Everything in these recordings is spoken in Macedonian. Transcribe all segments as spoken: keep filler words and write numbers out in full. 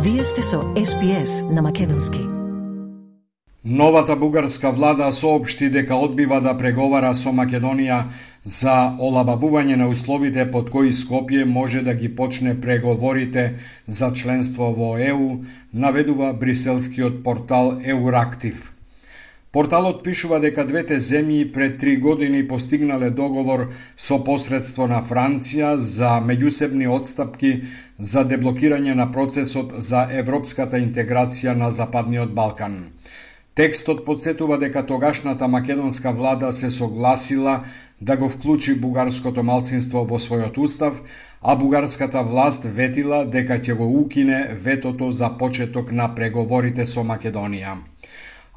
Вие сте со Ес Би Ес на македонски. Новата бугарска влада соопшти дека одбива да преговара со Македонија за олабавување на условите под кои Скопје може да ги почне преговорите за членство во Е У, наведува бриселскиот портал Еурактив. Порталот пишува дека двете земји пред три години постигнале договор со посредство на Франција за меѓусебни отстапки за деблокирање на процесот за европската интеграција на Западниот Балкан. Текстот подсетува дека тогашната македонска влада се согласила да го вклучи бугарското малцинство во својот устав, а бугарската власт ветила дека ќе го укине ветото за почеток на преговорите со Македонија.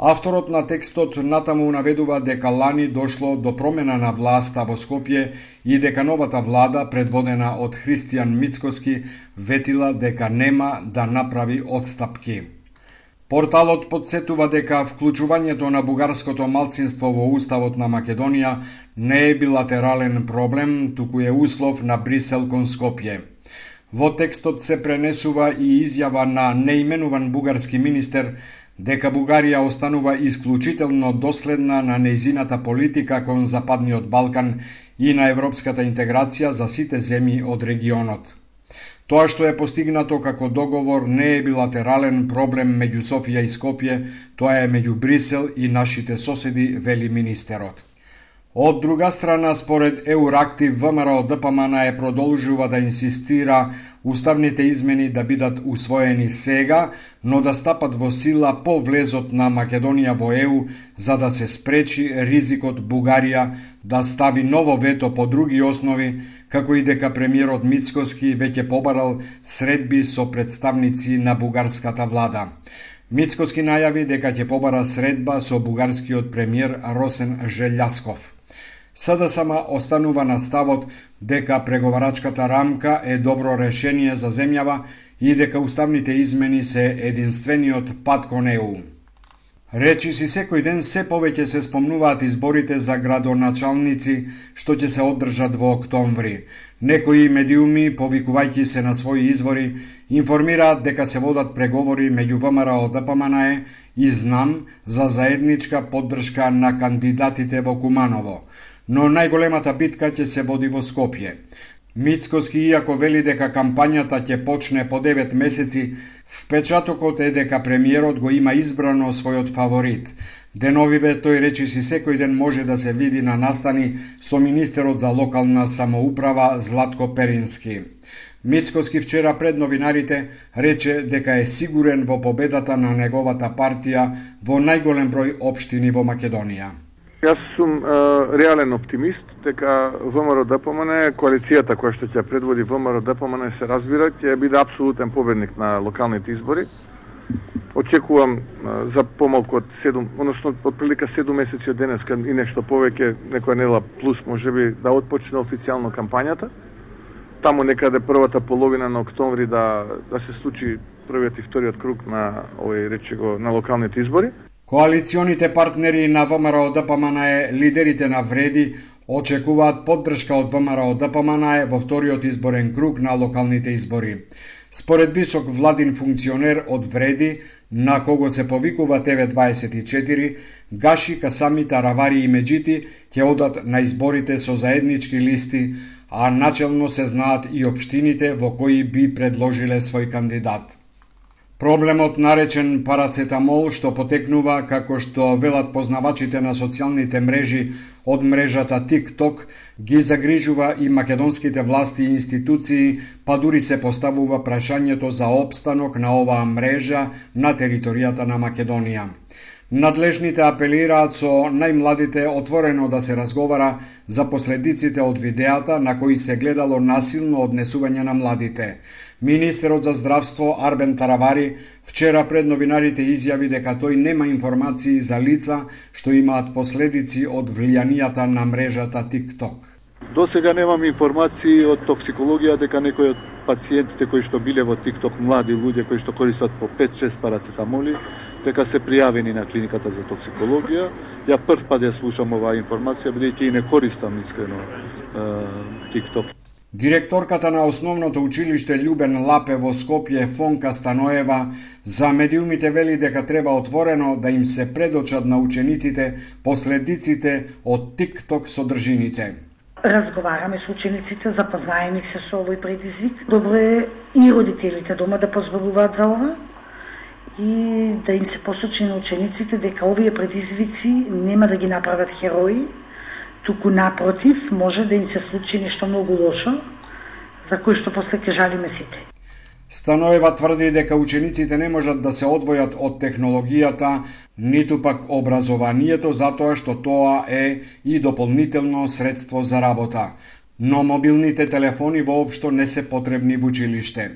Авторот на текстот натаму наведува дека лани дошло до промена на власта во Скопје и дека новата влада, предводена од Христијан Мицкоски, ветила дека нема да направи отстапки. Порталот подсетува дека вклучувањето на бугарското малцинство во уставот на Македонија не е билатерален проблем, туку е услов на Брисел кон Скопје. Во текстот се пренесува и изјава на неименуван бугарски министер дека Бугарија останува исклучително доследна на нејзината политика кон Западниот Балкан и на европската интеграција за сите земји од регионот. Тоа што е постигнато како договор не е билатерален проблем меѓу Софија и Скопје, тоа е меѓу Брисел и нашите соседи, вели министерот. Од друга страна, според Еурактив, ВМРО Д П М Н е продолжува да инсистира уставните измени да бидат усвоени сега, но да стапат во сила по влезот на Македонија во Е У, за да се спречи ризикот Бугарија да стави ново вето по други основи, како и дека премиерот Мицкоски веќе побарал средби со представници на бугарската влада. Мицкоски најави дека ќе побара средба со бугарскиот премиер Росен Желјасков. С Д С М останува на ставот дека преговарачката рамка е добро решение за земјава и дека уставните измени се единствениот пат кон Е У. Речиси секој ден се повеќе се спомнуваат изборите за градоначалници што ќе се одржат во октомври. Некои медиуми, повикувајќи се на своји извори, информираат дека се водат преговори меѓу ВМРО Д П М Н и Знам за заедничка поддршка на кандидатите во Куманово, но најголемата битка ќе се води во Скопје. Мицкоски, иако вели дека кампањата ќе почне по девет месеци, впечатокот е дека премиерот го има избрано својот фаворит. Деновиве тој речиси секој ден може да се види на настани со министерот за локална самоуправа Златко Перински. Мицкоски вчера пред новинарите рече дека е сигурен во победата на неговата партија во најголем број општини во Македонија. Јас сум е, реален оптимист дека ВМРО Д П М Н, коалицијата која што ќе предводи ВМРО Д П М Н, се разбира, ќе биде апсолутен победник на локалните избори. Очекувам е, за помалку од седум, односно од прилика седум месеци од денеска и нешто повеќе, некоја недела плюс можеби да отпочне официјално кампањата. Таму некаде првата половина на октомври да да се случи првиот и вториот круг на овој речего на локалните избори. Коалиционите партнери на ВМРО Д П М Н, лидерите на Вреди, очекуваат поддршка од ВМРО Д П М Н во вториот изборен круг на локалните избори. Според висок владин функционер од Вреди, на кого се повикува Т В дваесет и четири, Гаши, Касами, Таравари и Меджити ќе одат на изборите со заеднички листи, а начелно се знаат и општините во кои би предложиле свој кандидат. Проблемот наречен парацетамол, што потекнува, како што велат познавачите на социјалните мрежи од мрежата TikTok, ги загрижува и македонските власти и институции, па дури се поставува прашањето за опстанок на оваа мрежа на територијата на Македонија. Надлежните апелираат со најмладите отворено да се разговара за последиците од видеата на кои се гледало насилно однесување на младите. Министерот за здравство Арбен Таравари вчера пред новинарите изјави дека тој нема информации за лица што имаат последици од влијанијата на мрежата TikTok. До сега немам информации од токсикологија дека некои од пациентите кои што биле во TikTok, млади луѓе кои што користат по пет-шест парацетамоли, дека се пријавени на клиниката за токсикологија. Ја прв пат ја слушам оваа информација, бидејќи и не користам искрено TikTok. Директорката на основното училиште Љубен Лапе во Скопје, Фонка Станоева, за медиумите вели дека треба отворено да им се предочат на учениците последиците од TikTok содржините. Разговараме со учениците, запознаени се со овој предизвик. Добро е и родителите дома да позбавуваат за ова и да им се посочи на учениците дека овие предизвици нема да ги направат херои, туку напротив, може да им се случи нешто многу лошо, за кое што после ќе жалиме сите. Станоева тврди дека учениците не можат да се одвојат од технологијата, ниту пак образованието, затоа што тоа е и дополнително средство за работа. Но мобилните телефони воопшто не се потребни во училиште.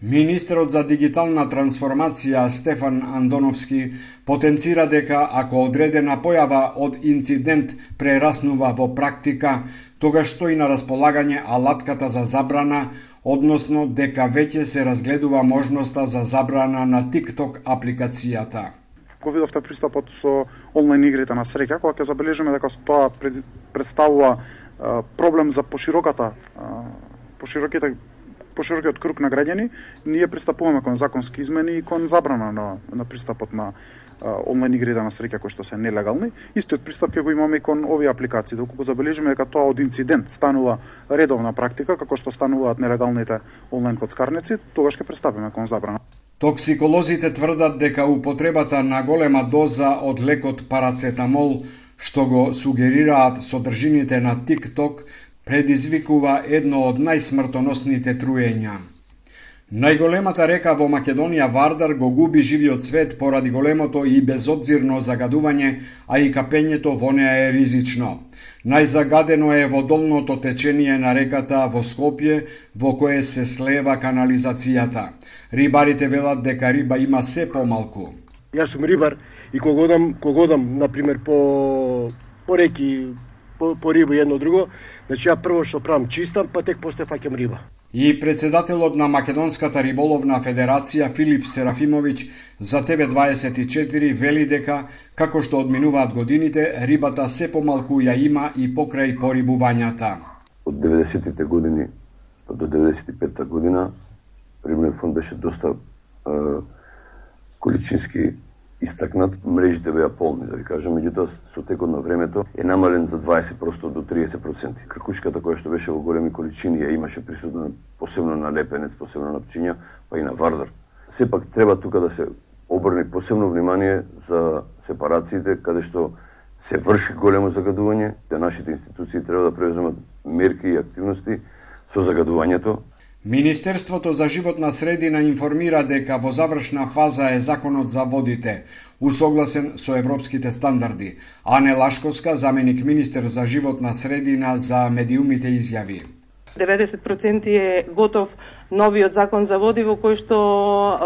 Министерот за дигитална трансформација Стефан Андоновски потенцира дека ако одредена појава од инцидент прераснува во практика, тогаш стои на располагање алатката за забрана, односно дека веќе се разгледува можноста за забрана на TikTok апликацијата. Го видовте пристапот со онлайн игрите на среќа, кога ќе забележиме дека тоа представува проблем за пошироката, пошироките поширокиот круг на граѓани, ние пристапуваме кон законски измени и кон забрана на, на пристапот на а, онлайн игрите на среќа кои што се нелегални. Истиот пристап ќе го имаме и кон овие апликации. Доколку забележиме дека тоа од инцидент станува редовна практика, како што стануваат нелегалните онлайн коцкарници, тогаш ќе пристапиме кон забрана. Токсиколозите тврдат дека употребата на голема доза од лекот парацетамол, што го сугерираат содржините на TikTok, предизвикува едно од најсмртоносните труења. Најголемата река во Македонија, Вардар, го губи живиот свет поради големото и безобзирно загадување, а и капењето во неа е ризично. Најзагадено е водолното течение на реката во Скопје, во кое се слева канализацијата. Рибарите велат дека риба има се помалку. Јас сум рибар и кога одам, кога одам, например, по, по реки, по, по риба и едно друго, значи ја прво што правам чистам, па тек после фаќам риба. И председателот на Македонската риболовна федерација Филип Серафимовиќ за Т В дваесет и четири вели дека, како што одминуваат годините, рибата се помалку ја има и покрај порибувањата. Од деветдесетите години до деветдесет и петта година рибниот фонд беше доста е, количински истакнат, мрежите беа полни, да ви кажам, меѓутоа со текот на времето е намален за дваесет проценти до триесет проценти. Кркушката која што беше во големи количини ја имаше присутно посебно на лепенец, посебно на пчиња, па и на вардар. Сепак треба тука да се обрне посебно внимание за сепарациите каде што се врши големо загадување, да нашите институции треба да преземат мерки и активности со загадувањето. Министерството за животна средина информира дека во завршна фаза е законот за водите, усогласен со европските стандарди. Ане Лашковска, заменик министер за животна средина, за медиумите изјави. деветдесет проценти е готов новиот закон за води во кој што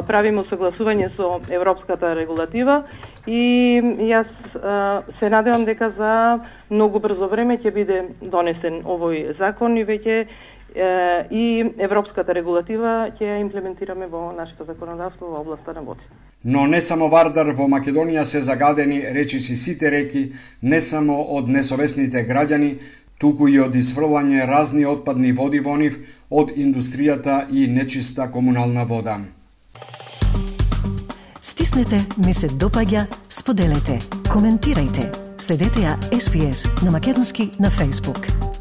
правиме согласување со европската регулатива и јас се надевам дека за многу брзо време ќе биде донесен овој закон и веќе и европската регулатива ќе ја имплементираме во нашето законодавство во областа на водите. Но не само Вардар, во Македонија се загадени речиси сите реки, не само од несовесните граѓани, туку и од изфрлање разни отпадни води во нив, од индустријата и нечиста комунална вода. Стиснете, ми се допаѓа, споделете, коментирајте. Следете ја Ес Би Ес на македонски на Facebook.